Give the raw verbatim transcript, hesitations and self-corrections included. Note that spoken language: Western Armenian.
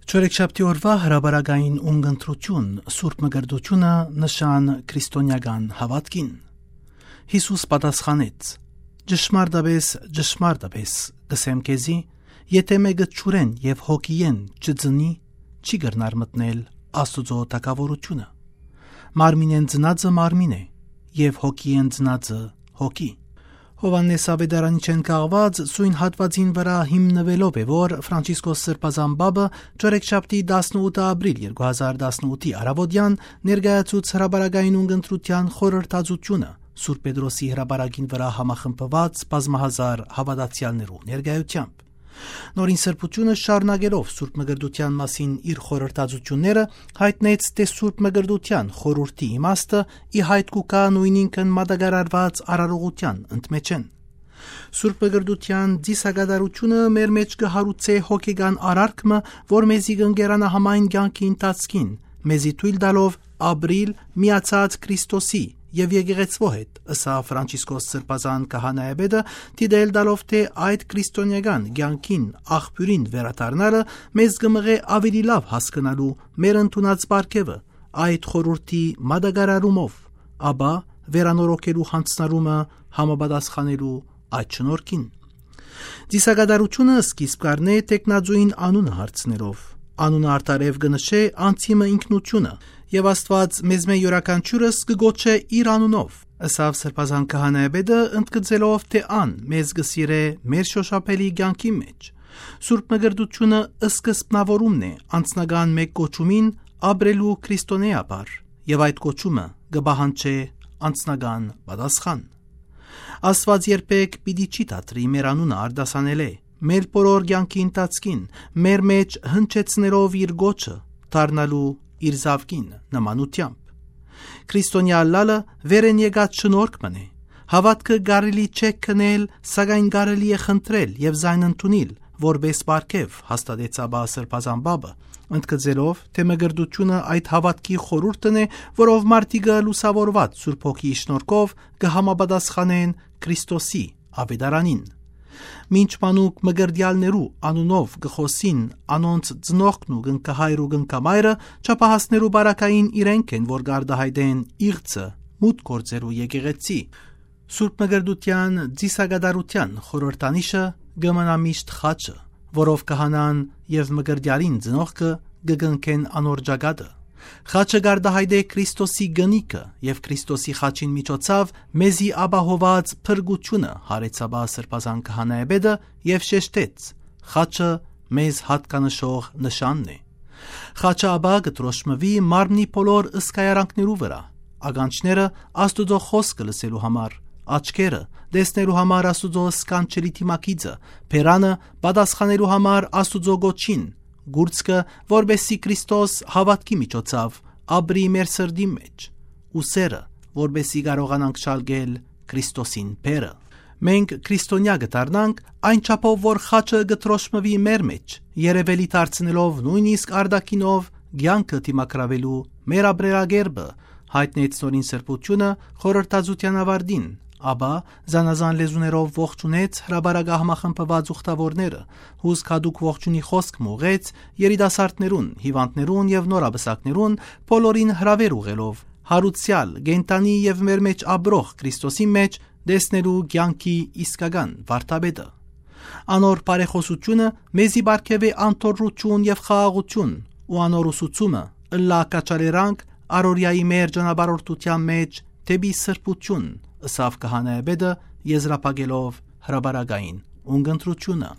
Չորեքշաբթի օրուայ հրապարակային ունգընտրութիւն, Սուրբ Մկրտութիւնը նշան քրիստոնեական հաւատքին։ Յիսուս պատասխանեց. «Ճշմարտապէս, ճշմարտապէս կ'ըսեմ քեզի, եթէ մէկը ջուրէն եւ հոգիէն չծնի, չի կրնար մտնել Աստուծոյ թագաւորութիւնը։ Մարմինէն ծնածը մարմին է, եւ հոգիէն ծնածը՝ հոգի»։ Յովհաննէս Աւետարանիչէն կախուած սոյն հատուածին վրայ հիմնուելով է, որ Ֆրանցիսկոս Սրբազան Պապը չորեքշաբթի, տասնութ ապրիլ երկու հազար տասնութի առաւօտեան ներկայացուց հրապարակային ունգընտրութեան խորհրդածութիւնը Սուրբ Պետրոսի հրապարակին վրայ համախմբուած բազմահազար հաւատացեալներու ներկայութեամբ։ Նորին Սրբութիւնը, շարունակելով Սուրբ Մկրտութեան մասին իր խորհրդածութիւնները, յայտնեց, թէ Սուրբ Մկրտութեան խորհուրդի իմաստը ի յայտ կու գայ նոյնինքն մատակարարուած արարողութեան ընդմէջէն։ Սուրբ Մկրտութեան ծիսակատարութիւնը մեր մէջ կը հարուցէ հոգեկան արարք մը, որ մեզի կ'ընկերանայ համայն կեանքի ընթացքին, մեզի թոյլ տալով ապրիլ միացած Քրիստոսի եւ եկեղեցւոյ հետ, ըսաւ Ֆրանցիսկոս Սրբազան քահանայապետը, դիտել տալով, թէ այդ քրիստոնեական կեանքին աղբիւրին վերադառնալը մեզ կը մղէ աւելի լաւ հասկնալու մեր ընդունած պարգեւը, այդ խորհուրդի մատակարարումով, ապա վերանորոգելու յանձնառումը համապատասխանելու այդ շնորհքին։ Ծիսակատարութիւնը սկիզբ կ'առնէ թեկնածուին անունը հարցնելով։ Անունը արդարեւ կը նշէ անձի մը ինքնութիւնը, եւ Աստուած մեզմէ իւրաքանչիւրս կը կոչէ իր անունով, ըսաւ Սրբազան քահանայապետը, ընդգծելով, թէ ան մեզ կը սիրէ մեր շոշափելի կեանքի մէջ։ Սուրբ Մկրտութիւնը սկզբնաւորումն է անձնական մէկ կոչումին ապրելու քրիստոնեայաբար, եւ այդ կոչումը կը պահանջէ անձնական պատասխան։ Աստուած երբեք պիտի չի դադրի մեր անունը արտասանելէ, մեր բոլոր կեանքի ընթացքին, մեր մէջ հնչեցնելով իր կոչը, դառնալու իր զաւկին նմանութեամբ։ Քրիստոնեայ ըլլալը վերէն եկած շնորհք մըն է։ Հաւատքը կարելի չէ գնել, սակայն կարելի է խնդրել եւ զայն ընդունիլ որպէս պարգեւ, հաստատեց ապա Սրբազան Պապը, ընդգծելով, թէ մկրտութիւնը այդ հաւատքի խորհուրդն է, որով մարդիկը լուսաւորուած Սուրբ Հոգիի շնորհքով կը համապատասխանեն Քրիստոսի աւետարանին։ Մինչ մանուկ մկրտեալներու անունով կը խօսին անոնց ծնողքն ու կնքահայր ու կնքամայրը, չափահասներու պարագային իրենք են, որ կ'արտայայտեն իղձը մութ գործերու եկեղեցի։ Սուրբ Մկրտութեան ծիսակատարութեան խորհրդանիշը կը մնայ միշտ խաչը, որով քահանան եւ մկրտեալին ծնողքը կը կնքեն անոր ճակատը։ Խաչը կ'արտայայտէ Քրիստոսի կնիքը եւ Քրիստոսի խաչին միջոցաւ մեզի ապահոված փրկութիւնը, յարեց ապա Սրբազան քահանայապետը եւ շեշտեց. «Խաչը մեզ յատկանշող նշանն է»։ Խաչը ապա կը դրոշմուի մարմնի բոլոր զգայարանքներու վրայ. ականջները՝ Աստուծոյ խօսքը լսելու համար, աչքերը՝ տեսնելու համար Աստուծոյ սքանչելի դիմագիծը, բերանը՝ պատասխանելու համար Աստուծոյ կոչին, կուրծքը՝ որպէսզի Քրիստոս հաւատքի միջոցաւ ապրի մեր սրտին մէջ, ու սերը, որպէսզի կարողանանք շալկել Քրիստոսին բերը։ Մենք քրիստոնեայ կը դառնանք այն չափով, որ խաչը կը դրոշմուի մեր մէջ, երեւելի դարձնելով նոյնիսկ արտաքինով կեանքը դիմագրաւելու մեր ապրելակերպը, յայտնեց Նորին Սրբութիւնը խորհրդածութեան աւարտին, ապա զանազան լեզուներով ողջունեց հրապարակը համախմբուած ուխտաւորները, հուսք յատուկ ողջունի խօսք մը ուղղեց երիտասարդներուն, հիւանդներուն եւ նորապսակներուն, բոլորին հրաւէր ուղղելով հարուցեալ, կենդանի եւ մեր մէջ ապրող Քրիստոսի մէջ տեսնելու կեանքի իսկական վարդապետը։ Անոր բարեխօսութիւնը մեզի պարգեւէ անդորրութիւն եւ խաղաղութիւն, ու անոր ուսուցումը ըլլայ քաջալերանք առօրեայի մեր ճանապարհորդութեան մէջ դէպի սրբութիւն, ըսաւ քահանայապետը, եզրափակելով հրապարակային ունգընտրութիւնը։